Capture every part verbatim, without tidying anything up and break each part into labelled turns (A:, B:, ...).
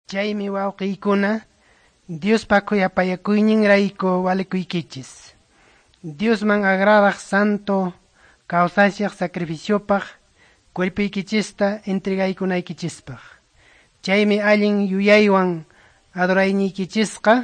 A: Chaymi wawqiykuna, Diospa khuyapayakuyninrayku walikuykichis. Diosman agradaq santo kawsashaq sacrificiopaq cuerpuykichista entregaykunaykichispaq. Chaymi allin yuyaywan adorayniykichisqa,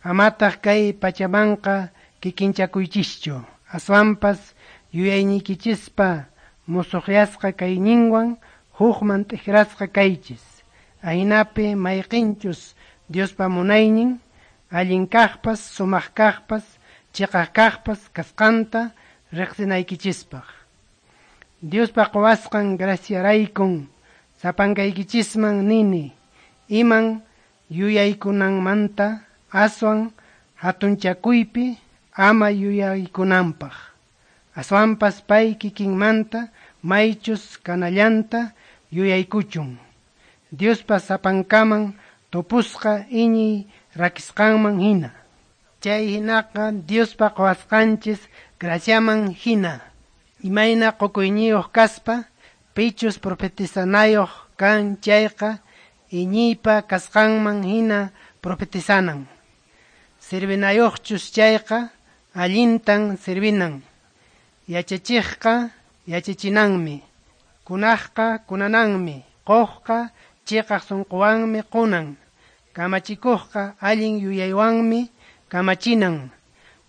A: amataq kay pachamanqa kikinchakuychischu. Aswanpas yuyayniykichispa musuqyasqa kayninwan hukman t'ikrasqa kaychis. Ahinapi mayqinchus Diospa munaynin, allin kaqpas, sumaq kaqpas, chiqaq kaqpas kasqanta riqsinaykichispaq. Diospa quwasqan graciaraykun sapankaykichisman nini, iman yuyaykunanmanta aswan hatunchakuypi ama yuyaykunanpaq. Aswanpas pay kikinmanta maychus kanallanta yuyaykuchun. Diospa sapankaman tupusqa iñiy rakisqanman hina. Chay hinaqa Diospa quwasqanchis graciaman hina. Imayna qukuyniyuq kaspa, pichus profetizanayuq kan chayqa iñiypa kasqanman hina profetizanan. Sirvinayuqchus chayqa allintan sirvinan. Yachachiqqa yachachinanmi. Kunaqqa kunananmi. Quqqa chiqaq sunquwanmi qunan. Kamachikuqqa allin yuyaywanmi kamachinan.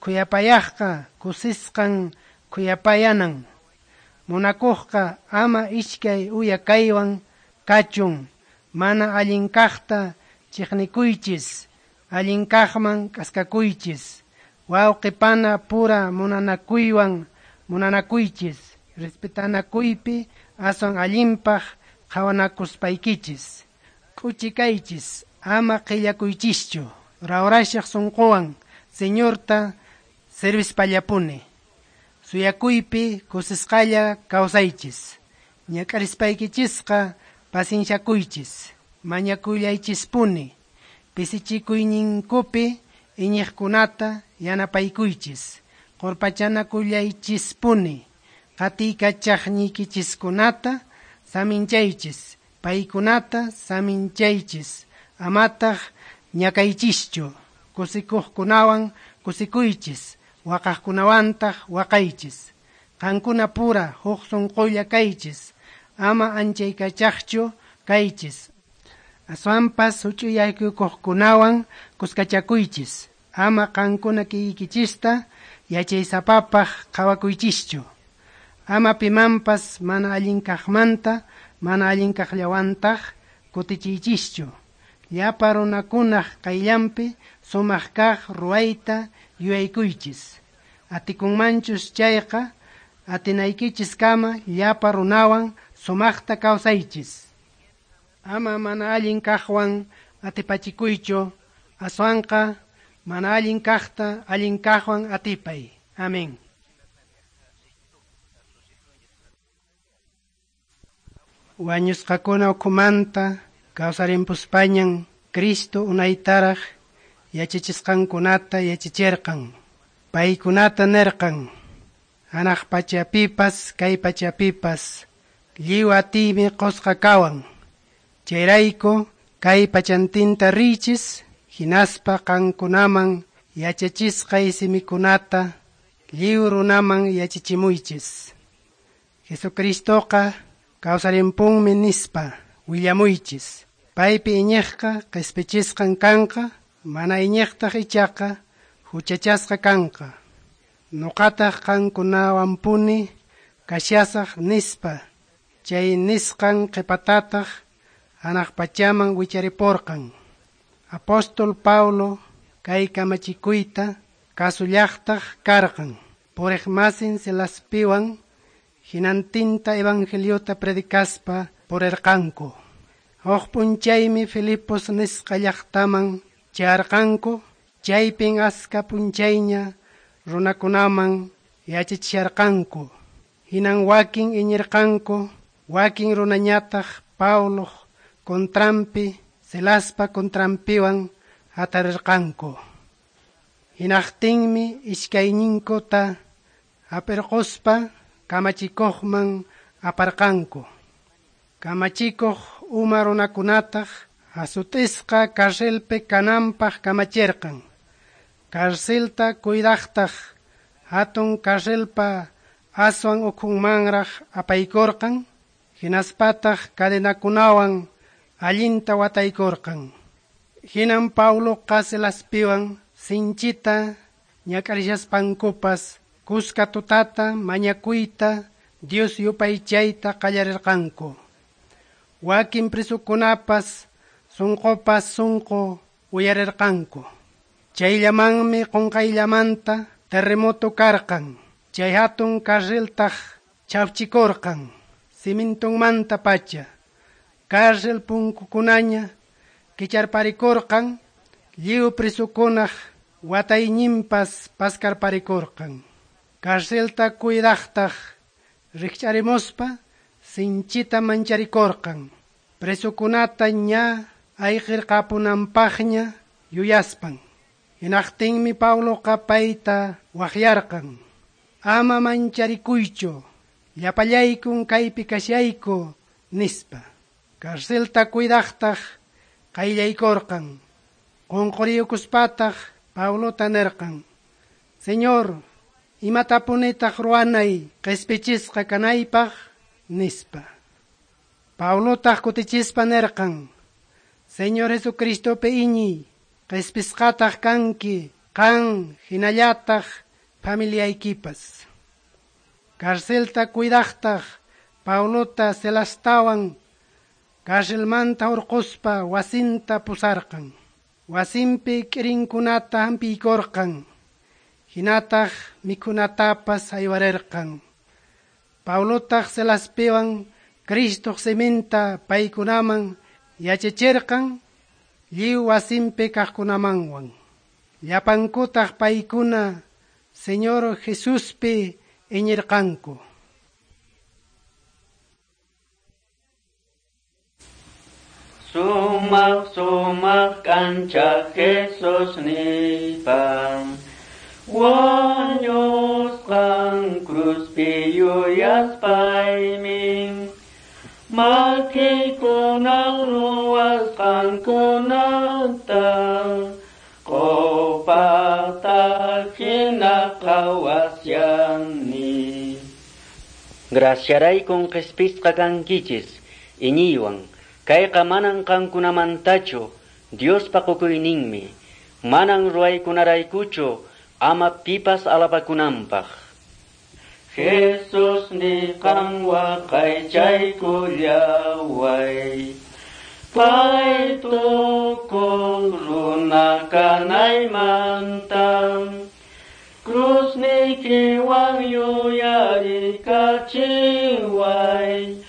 A: Khuyapayaqqa kusisqan khuyapayanan. Munakuqqa ama iskay uya kaywan kachun. Mana allin kaqta chiqnikuychis, allin kaqman k'askakuychis. Wawqi pana pura munanakuywan munanakuychis, respetanakuypi aswan allinpaq qhawanakuspaykichis. K'uchi kaychis, ama qillakuychischu, rawrashaq sunquwan Señorta servispallapuni. Suyakuypi kusisqalla kawsaychis. Ñak'arispaykichisqa pacienciakuychis, mañakuylaychispuni, pisichikuyninkupi iñiqkunata yanapaykuychis, qurpachanakullaychispuni, qatiykachaqniykichiskunata saminchaychis, paykunata saminchaychis, amataq ñakaychischu, kusikuqkunawan kusikuychis, waqaqkunawantaq waqaychis. Qankuna pura huk sunqulla kaychis, ama anchaykachaqchu kaychis. Aswanpas huch'uyyaykuqkunawan kuskachakuychis, ama qankuna kiykichista yachaysapapaq qhawakuychischu. Ama pimanpas mana allin kaqmanta mana allin kaqllawantaq kutichiychischu. Llapa runakunaq qayllanpi sumaq kaq ruwayta yuyaykuychis. Atikunmanchus chayqa atinaykichiskama llapa runawan sumaqta kawsaychis. Ama mana allin kaqwan atipachikuychu, aswanqa mana allin kaqta allin kaqwan atipay. Amén. Wañusqakuna ukhumanta kawsarimpuspañan Cristo unaytaraq yachachisqankunata yachachirqan. Paykunata nirqan, hanaq pachapipas kay pachapipas lliw atiymi qusqa kawan. Chayrayku kay pachantinta riychis, hinaspa qankunaman yachachisqay simikunata lliw runaman yachachimuychis. Jesucristoqa kawsarimpunmi nispa willamuychis. Paypi iñiqqa qispichisqan kanqa, mana iñiqtaq ichaqa huchachasqa kanqa. Nuqataq qankunawanpuni kashasaq nispa. Chay nisqan qhipatataq hanaq pachaman wicharipurqan. Apóstol Pablo kay kamachikuyta kasullaqtaq karqan. Puriqmasin Silaspiwan hinantinta evangeliota predicaspa purirqanku. Huk p'unchaymi Filipos nisqa llaqtaman chayarqanku, chaypin aska p'unchayña runakunaman yachachisharqanku. Hinan wakin iñirqanku, wakin runañataq Pabloq contranpi, Silaspa contranpiwan hatarirqanku. Hinaqtinmi iskayninkuta hap'irquspa kamachikuqman aparqanku. Kamachikuq uma runakunataq Hasut'isqa carcelpi kananpaq kamachirqan. Carcelta cuidaqtaq hatun carcelpa aswan ukhunmanraq apaykurqan, hinaspataq cadenakunawan allinta wataykurqan. Hinan Pabloqa Silaspiwan sinchita ñak'arishaspankupas kuska tutata mañakuyta Dios yupaychayta qallarirqanku. Wakin presokunapas sunqupas sunqu uyarirqanku. Chayllamanmi qunqayllamanta terremoto karqan. Chay hatun carceltaq chawchikurqan cimientonmanta pacha. Cárcel punkukunaña kicharparikurqan, lliw presokunaq watayninpas paskarparikurqan. Carcelta cuidaqtaq rikch'arimuspa sinchita mancharikurqan. Presokunata ña ayqirqapunanpaqña yuyaspan. Hinaqtinmi Pabloqa payta waqyarqan. Ama mancharikuychu, llapallaykun kaypi kashayku, nispa. Carcelta cuidaqtaq qayllaykurqan. Qunquriyukuspataq Pablota nirqan: Señor, imatapunitaq ruwanay qispichisqa kanaypaq, nispa. Pablotaq kutichispa nirqan: Señor Jesucristopi iñiy, qispisqataq kanki, qan hinallataq familiaykipas. Carcelta cuidaqtaq Pablota Silastawan carcelmanta hurquspa wasinta pusarqan. Wasinpi k'irinkunata hampiykurqan, hinataq mikhunatapas haywarirqan. Pablotaq Silaspiwan Cristoq siminta paykunaman yachachirqan lliw wasinpi kaqkunamanwan. Llapankutaq paykuna Señor Jesuspi iñirqanku.
B: Sumaq sumaq kancha Jesus nipan wañusqan kruzpi yuyaspaymi makiykunan ruwasqankunata q'upata hina qhawasyani.
C: Graciaraykun qhispisqa kankichis iñiywan. Kayqa manan qankunamantachu Diospa qukuyninmi, manan ruwaykunaraykuchu ama pipas alabakunanpaq.
B: Jesus ni qan waqaychaykullaway, pay tukuq runa kanaymanta, krusniykiwan yuyarikachiway,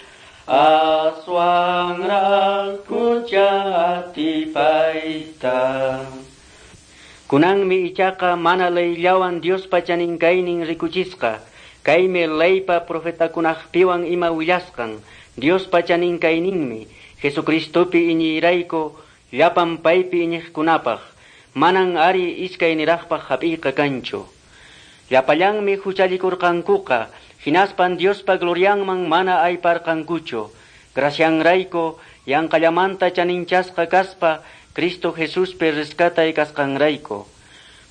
B: aswanraq hucha atipayta.
C: Kunanmi ichaqa mana leyllawan Diospa chaninkaynin rikuchisqa, kaymi leypa profetakunaqpiwan ima willasqan, Diospa chaninkayninmi Jesucristopi iñiyrayku llapan paypi iñiqkunapaq, manan ari iskayniraqpaq hap'iyqa kanchu. Llapallanmi huchallikurqankuqa, hinaspan Diospa glorianman mana ayparqankuchu. Gracianrayku yanqallamanta chaninchasqa kaspa Cristo Jesuspi rescatay kasqanrayku.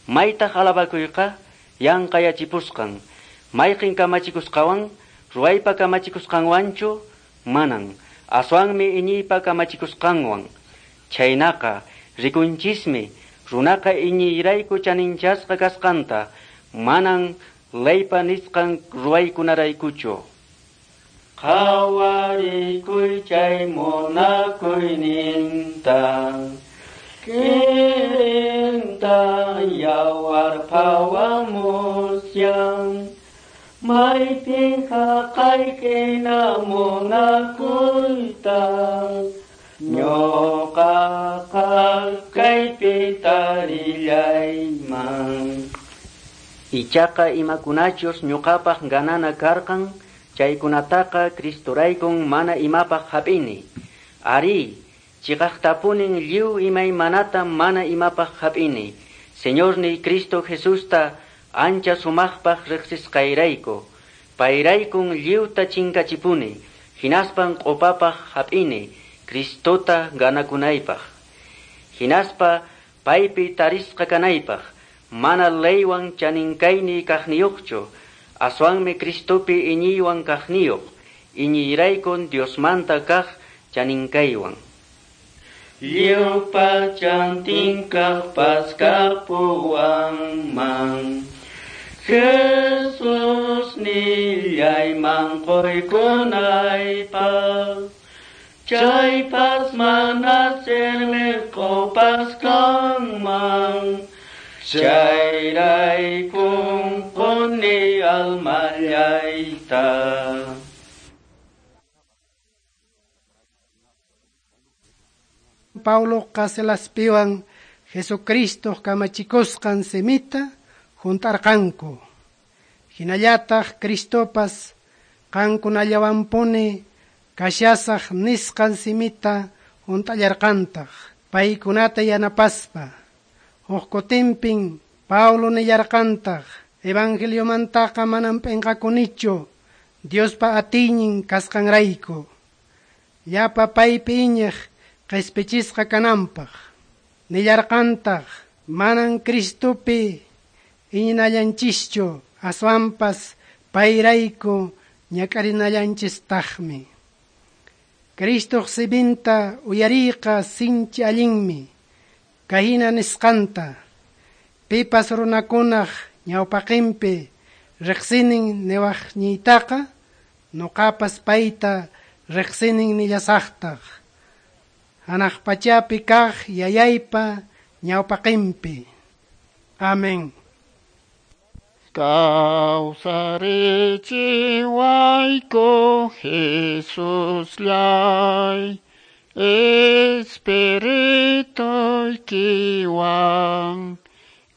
C: Maytaq alabakuyqa yanqayachipusqan, mayqin kamachikusqawan, ruwaypa kamachikusqanwanchu, manan, aswanmi iñiypa kamachikusqanwan. Chhaynaqa rikunchismi runaqa iñiyrayku chaninchasqa kasqanta, manan leypa nisqan ruwaykunaraykuchu.
B: Qhawarikuy chay munakuyninta, kirinta yawar phawamusyan, maypin haqaykina munakuyta, ñuqaqa kaypi tarillayman.
C: Ichaqa imakunachus ñuqapaq ganana karqan, chaykunataqa Cristoraykun mana imapaq hap'ini. Ari, chiqaqtapunin lliw imaymanata mana imapaq hap'ini. Señorniy Cristo Jesusta ancha sumaqpaq riqsisqayrayku. Payraykun lliwta chinkachipuni, hinaspan q'upapaq hap'ini, Cristota ganakunaypaq. Hinaspa paypi tarisqa kanaypaq, mana leywan chaninkayni kaqniyuqchu, aswanmi Cristopi iñiywan kaqniyuq, iñiyraykun Diosmanta kaq chaninkaywan.
B: Lliw pachantinkaq paskapuwanman, Jesus nillayman qoykunaypaq, chaypas mana sirviqpas kanman, chayraykun quni almallayta.
A: Pabloqa Silaspiwan Jesucristo kamachikusqan simita juntarqanku. Hinallataq Cristopas qankunallawanpuni kashasaq nisqan simita junt'allarqantaq paykunata yanapaspa. Huk kutinpin Pablo nillarqantaq evangeliomantaqa manam p'inqakunichu Diospa atiynin kasqanrayku. Llapa paypi iñiq qhispichisqa kananpaq. Nillarqantaq manan Cristopi iñinallanchishchu aswanpas payrayku ñak'arinallanchistaqmi. Cristoq siminta uyariyqa sinchi allinmi. Kahina nisqanta pipas runakunaq ñawpaqinpi riqsinin niwaqniytaqa nuqapas payta riqsinin nillasaqtaq. Hanaq pachapi kaq yayaypa ñawpaqinpi. Amén.
D: Kawsarichiwayku Jesusllay, Espirituykiwan,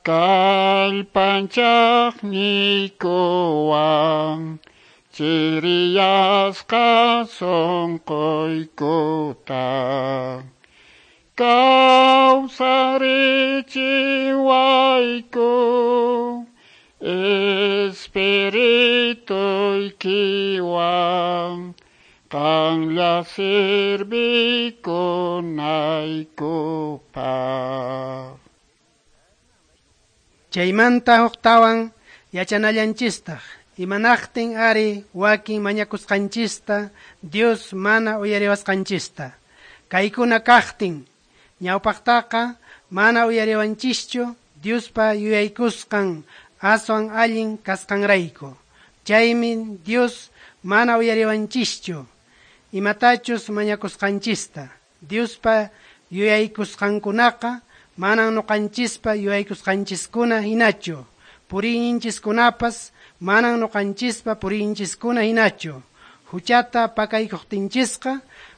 D: kallpanchaqniykuwan, chiriyasqa sunquykuta. Kawsarichiwayku Espirituykiwan, qanlla sirvikunaykupaq.
A: Chaymanta huktawan yachanallanchistaq imanaqtin ari wakin mañakusqanchista Dios mana uyariwasqanchista. Kaykuna kaqtin ñawpaqtaqa mana uyariwanchischu Diospa yuyaykusqan aswan allin kasqanrayku. Chaymi Dios mana uyariwanchischu imatachus mañakusqanchista. Diospa yuyaykusqankunaqa manan nuqanchispa yuyaykusqanchiskuna hinachu. Puriyninchiskunapas manan nuqanchispa puriyninchiskuna hinachu. Huchata pakaykuqtinchisqa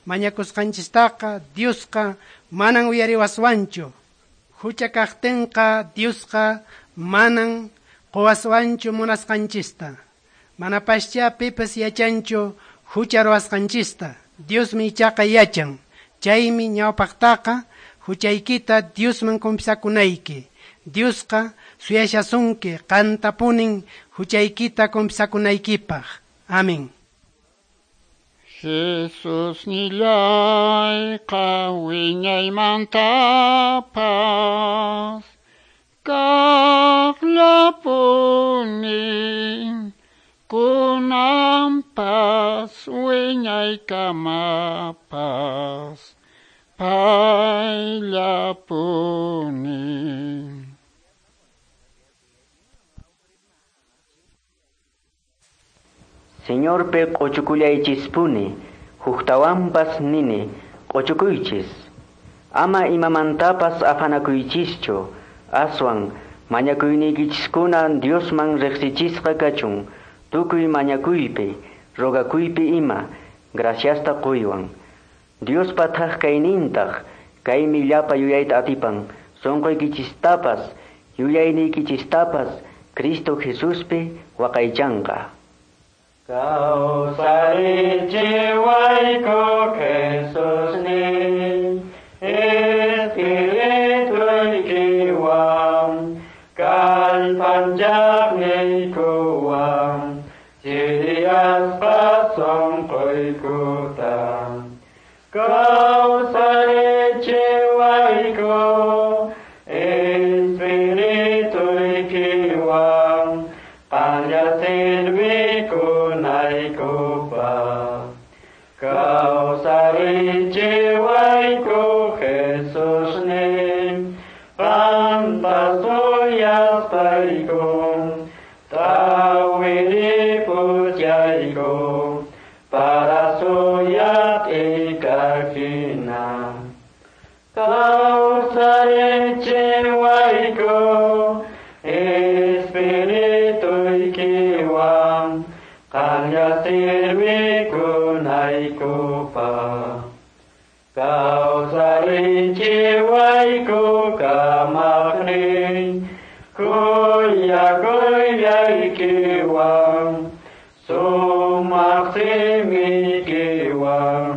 A: mañakusqanchistaqa Diosqa manan uyariwaswanchu. Hucha kaqtinqa Diosqa manan quwaswanchu munasqanchista. Manapascha pipas yachanchu hucha ruwasqanchista. Diosmi ichaqa yachan. Chaymi ñawpaqtaqa huchaykita Diosman confesakunayki. Diosqa suyashasunki qantapunin huchaykita confesakunaykipaq. Amén.
D: Jesus nillayqa wiñaymantapas, kaqllapuni kunanpas wiñaykamapas payllapuni.
C: Señorpi q'uchukullaychispuni, huktawanpas nini q'uchukuychis. Ama imamantapas afanakuychischu, aswan mañakuyniykichiskuna Diosman riqsichisqa kachun, tukuy mañakuypi, rogakuypi ima, graciasta quywan. Diospa thaq kaynintaq, kaymi llapa yuyayta atipan, sunquykichistapas, yuyayniykichistapas, Cristo Jesuspi waqaychanqa.
B: Kawsarichiwayku Jesusnin, Espirituykiwan, kallpanchaqniykuwan, chiriyasqa sunquykuta. Kawsarichiwayku Kawsarichiwayku Jesusnin, qamta suyaspayku, tawiripuchayku, para suyat'ikaqhina. Kawsarichiwayku Espirituykiwan, qanlla sirvikunaykupaq. Kawsarichiwayku kamaqnin, khuyakuyaykiwan, sumaq simiykiwan,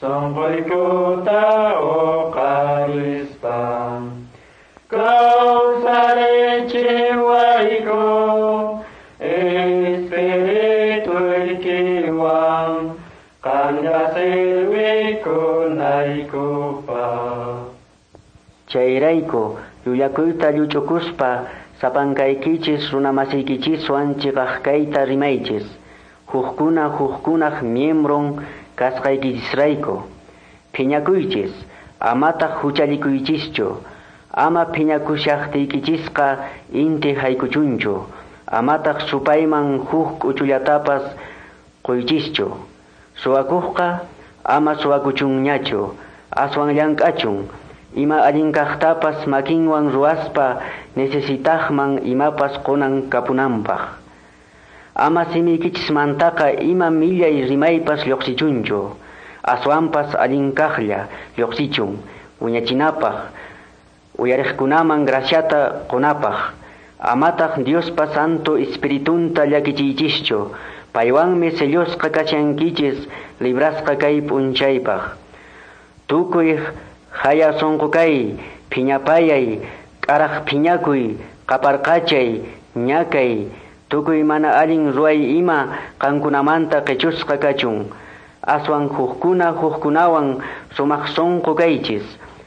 B: sunquykuta uqarispa. Kawsarichiwayku Espirituykiwan, qanlla sirvikunaykupaq.
C: Chayrayku llullakuyta lluch'ukuspa sapankaykichis runamasiykichiswan chiqaqkayta rimaychis, hukkuna hukkunaq miembron kasqaykichisrayku. Phiñakuychis, amataq huchallikuychischu, ama phiñakushaqtiykichisqa inti haykuchunchu, amataq supayman huk k'uchullatapas quychischu. Suwakuqqa ama suwakuchunñachu, aswan llank'achun, ima allin kaqtapas makinwan ruwaspa necesitaqman imapas qunan kapunanpaq. Ama simiykichismantaqa ima millay rimaypas lluqsichunchu, aswanpas allin kaqlla lluqsichun, wiñachinapaq, uyariqkunaman graciata qunapaq. Amataq Diospa Santo Espiritunta llakichiychischu, paywanmi sellusqa kashankichis librasqa kay p'unchaypaq. Tukuy haya sunqu kay, phiñapayay, k'araq phiñakuy, qaparqachay, ñakay, tukuy mana allin ruway ima qankunamanta qichusqa kachun. Aswan hukkuna hukkunawan sumaq sunqu kaychis,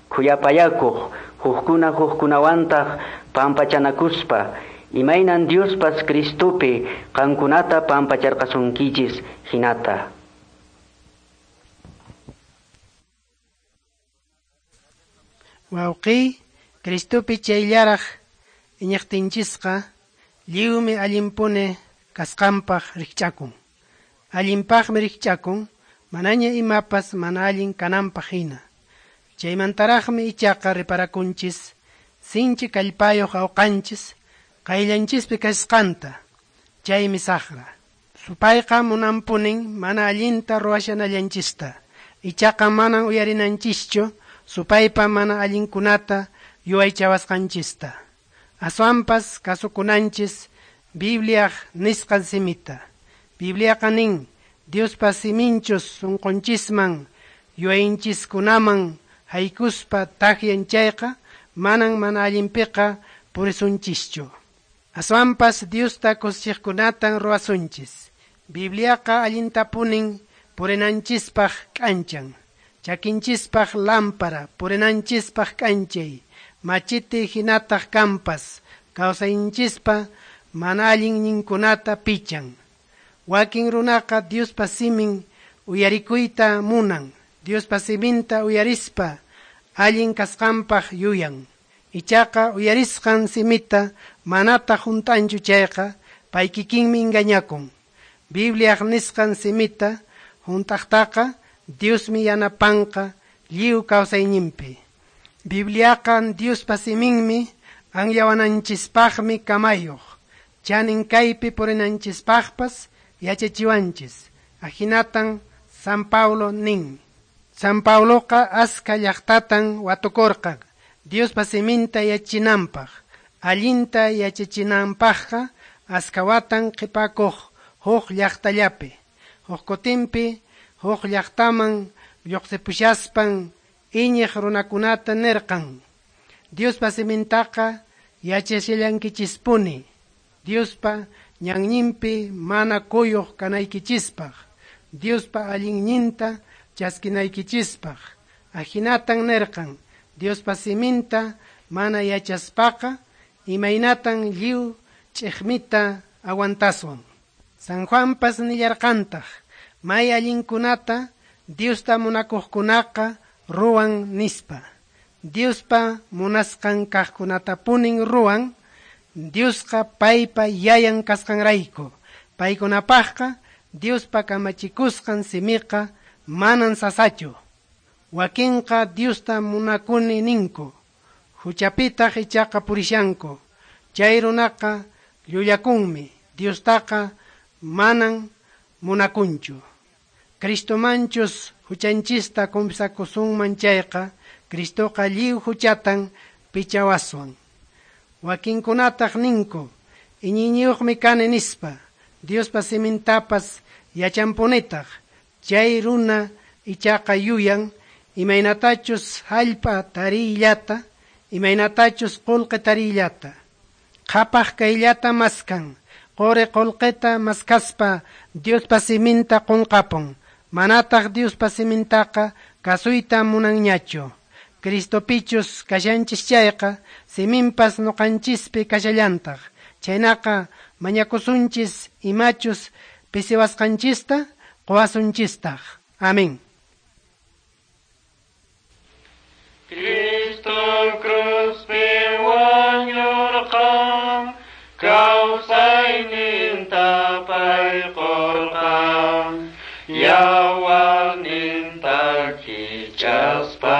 C: khuyapayakuq, hukkuna hukkunawantaq pampachanakuspa, imaynan Diospas Cristopi qankunata pampacharqasunkichis hinata.
A: Wawqiy, Cristopi chayllaraq iñiqtinchisqa lliwmi allinpuni kasqanpaq rikch'akun. Allinpaqmi rikch'akun, manaña imapas mana allin kananpaq hina. Chaymantaraqmi ichaqa reparakunchis, sinchi kallpayuq awqanchis qayllanchispi kasqanta, chaymi saqra. Supayqa munanpunin mana allinta ruwashanallanchista, ichaqa manan uyarinanchischu supaypa mana allinkunata yuwaychawasqanchista. Aswanpas kasukunanchis Bibliaq nisqan simita. Bibliaqa nin, Diospa siminchus sunqunchisman yuwayinchiskunaman haykuspa takyan chayqa, manan mana allinpiqa purisunchischu. Aswanpas Diosta kusichiqkunatan ruwasunchis. Bibliaqa allintapunin purinanchispaq k'anchan, chakinchispaq lámpara, purinanchispaq k'anchay, machete hinataq kampas, kawsayninchispa mana allinninkunata pichan. Wakin runaqa Diospa simin uyarikuyta munan, Diospa siminta uyarispa allin kasqanpaq yuyan. Ichaqa uyarisqan simita manataq hunt'anchu chayqa, pay kikinmi engañakun. Bibliaq nisqan simita hunt'aqtaqa Diosmi yanapanqa lliw kawsayninpi. Bibliaqa Diospa siminmi anyawananchispaqmi kamayuq, chanin kaypi purinanchispaqpas yachachiwanchis. Ahinatan San Paulo nin. San Pauloqa aska llaqtatan watukurqan Diospa siminta yachinanpaq. Allinta yachachinanpaqqa askawatan qhipakuq huk llaqtallapi. Huk kutinpi huk llaqtaman lluqsipushaspan iñiq runakunata nirqan, Diospa simintaqa yachashallankichispuni, Diospa ñanninpi mana kuyuq kanaykichispaq, Diospa allinninta chaskinaykichispaq. Ahinatan nirqan, Diospa siminta mana yachaspaqa imaynatan lliw ch'iqmita aguantaswan. San Juanpas nillarqantaq, may allinkunata Diosta munakuqkunaqa ruwan nispa. Diospa munasqan kaqkunatapunin ruwan, Diosqa paypa yayan kasqanrayku. Paykunapaqqa Diospa kamachikusqan simiqa manan sasachu. Wakinqa Diosta munakuni ninku, huchapitaq ichaqa purishanku. Chay runaqa llullakunmi, Diostaqa manan munakunchu. Cristomanchus huchanchista confesakusunman chayqa, Cristoqa lliw huchatan pichawaswan. Wakinkunataq ninku, iñiyniyuqmi kani nispa, Diospa simintapas yachanpunitaq. Chay runa ichaqa yuyan imaynatachus hallp'a tariyllata, imaynatachus qullqi tariyllata. Qhapaq kayllata maskan, quri qullqita maskaspa Diospa siminta qunqapun. Manataq Diospa simintaqa kasuyta munanñachu. Cristopichus kashanchis chayqa, siminpas nuqanchispi kashallantaq. Chhaynaqa mañakusunchis imachus pisiwasqanchista quwasunchistaq. Amén.
B: Cristo cruzpi wañurqan, kawsayninta pay qurqan, yawarninta kichaspa,